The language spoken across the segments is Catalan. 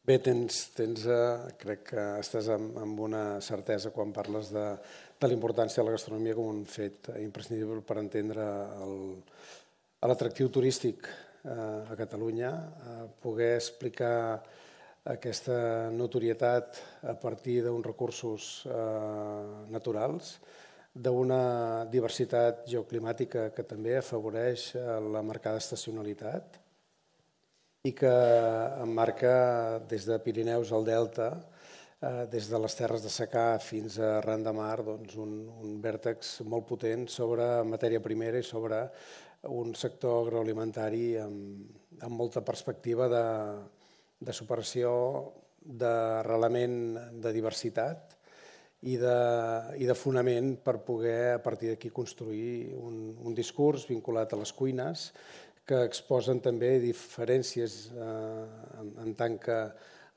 Bé, crec que estàs amb una certesa quan parles de la importància de la gastronomia com un fet imprescindible per entendre l'atractiu turístic a Catalunya, poder explicar aquesta notorietat a partir d'uns recursos naturals, d'una diversitat geoclimàtica que també afavoreix la marcada estacionalitat i que emmarca des de Pirineus al Delta, des de les terres de secà fins a Ran de Mar, un vèrtex molt potent sobre matèria primera i sobre un sector agroalimentari amb molta perspectiva de superació, d'arrelament de diversitat i de fonament per poder a partir d'aquí construir un discurs vinculat a les cuines que exposen també diferències en tant que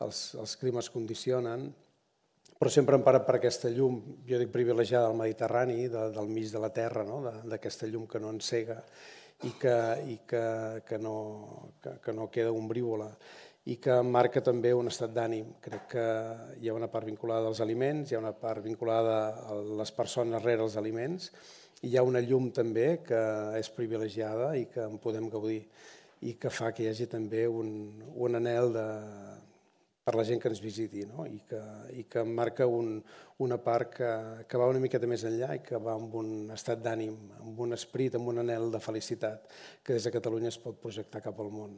els climes condicionen, però sempre emparat per aquesta llum, jo dic privilegiada del Mediterrani, del mig de la terra, d'aquesta llum que no encega i que no queda ombrívola i que marca també un estat d'ànim. Crec que hi ha una part vinculada als aliments, hi ha una part vinculada a les persones rere els aliments, i hi ha una llum també que és privilegiada i que en podem gaudir i que fa que hi hagi també un anhel per la gent que ens visiti, i que marca una part que va una miqueta més enllà i que va amb un estat d'ànim, amb un esperit, amb un anhel de felicitat que des de Catalunya es pot projectar cap al món.